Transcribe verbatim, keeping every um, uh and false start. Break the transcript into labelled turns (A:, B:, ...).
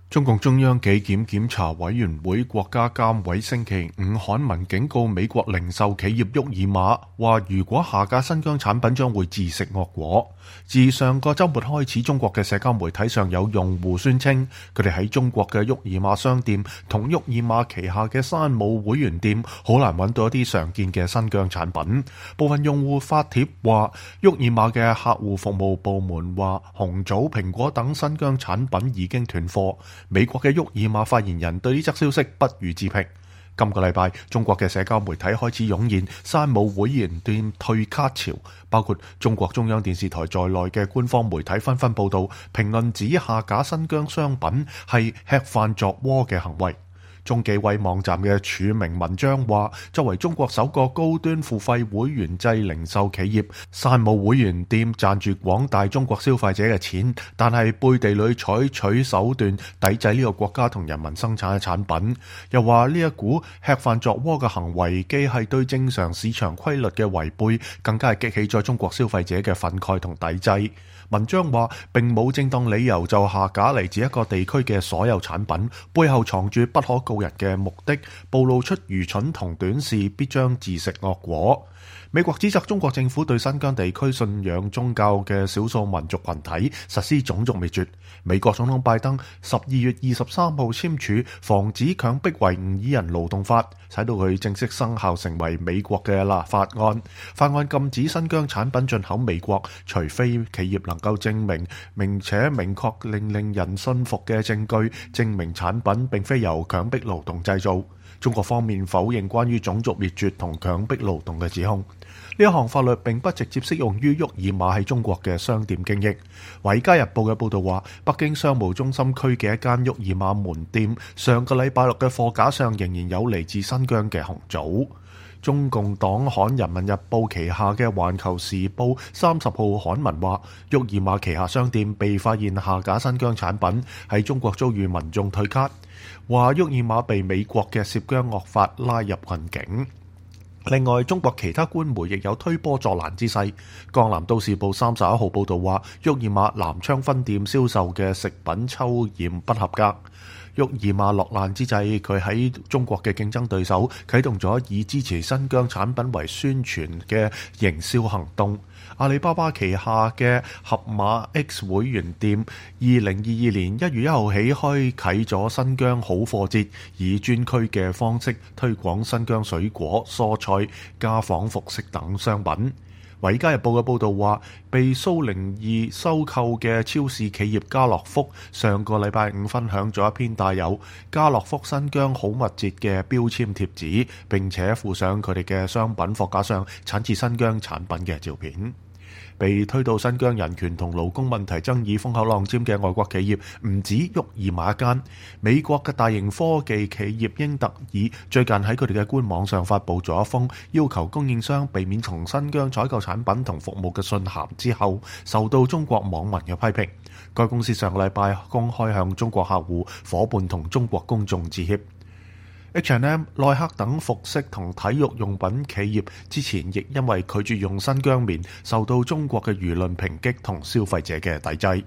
A: 中共中央紀檢檢查委員會國家監委星期五刊文警告美國零售企業沃爾瑪，話如果下架新疆產品將會自食惡果。自上個週末開始，中國嘅社交媒體上有用戶宣稱，佢哋喺中國嘅沃爾瑪商店同沃爾瑪旗下嘅山姆會員店好難揾到一啲常見嘅新疆產品。部分用戶發帖話，沃爾瑪嘅客戶服務部門話紅棗、蘋果等新疆產品已經斷貨。美國嘅沃爾瑪發言人對呢則消息不予置評。今個禮拜，中國嘅社交媒體開始湧現山姆會員店退卡潮，包括中國中央電視台在內嘅官方媒體紛紛報道，評論指下架新疆商品係吃飯作窩嘅行為。中紀委網站嘅署名文章話，作為中國首個高端付費會員制零售企業，山姆會員店賺住廣大中國消費者嘅錢，但係背地裏採取手段抵制呢個國家同人民生產嘅產品。又話呢一股吃飯作窩嘅行為，既係對正常市場規律嘅違背，更加係激起咗中國消費者嘅憤慨同抵制。文章話並冇正當理由就下架嚟自一個地區嘅所有產品，背後藏住不可告人嘅目的，暴露出愚蠢同短視，必將自食惡果。美國指責中國政府對新疆地區信仰宗教嘅少數民族群體實施種族滅絕。美國總統拜登十二月二十三號簽署防止強迫維吾爾人勞動法，使到佢正式生效成為美國嘅立法案。法案禁止新疆產品進口美國，除非企業能夠證明並且明確令令人信服嘅證據，證明產品並非由強迫勞動製造。中國方面否認關於種族滅絕同強迫勞動嘅指控。呢一項法律並不直接適用於沃爾瑪喺中國嘅商店經營。《華爾街日報》嘅報導話，北京商務中心區嘅一間沃爾瑪門店，上個禮拜六嘅貨架上仍然有嚟自新疆嘅紅棗。中共黨刊《人民日報》旗下嘅《環球時報》三十號刊文話，沃爾瑪旗下商店被發現下架新疆產品，喺中國遭遇民眾退卡，話沃爾瑪被美國嘅涉疆惡法拉入困境。另外，中國其他官媒亦有推波助瀾之勢。《江南都市報》三十一號報導話，沃爾瑪南昌分店銷售嘅食品抽驗不合格。沃爾瑪落難之際，佢喺中國嘅競爭對手啟動咗以支持新疆產品為宣傳嘅營銷行動。阿里巴巴旗下嘅盒馬 X 會員店，二零二二年一月一號起開啟咗新疆好貨節，以專區嘅方式推廣新疆水果、蔬菜、家紡服飾等商品。《華爾街日報》嘅報導話，被蘇寧易收購嘅超市企業家樂福上個禮拜五分享咗一篇帶有家樂福新疆好物節嘅標籤貼紙，並且附上佢哋嘅商品貨架上產自新疆產品嘅照片。被推到新疆人權同勞工問題爭議風口浪尖嘅外國企業唔止沃爾瑪一間，美國嘅大型科技企業英特爾最近喺佢哋嘅官網上發布咗一封要求供應商避免從新疆採購產品同服務嘅信函之後，受到中國網民嘅批評。該公司上個禮拜公開向中國客戶、夥伴同中國公眾致歉。H and M、耐克等服飾同體育用品企業之前亦因為拒絕用新疆棉，受到中國嘅輿論抨擊同消費者嘅抵制。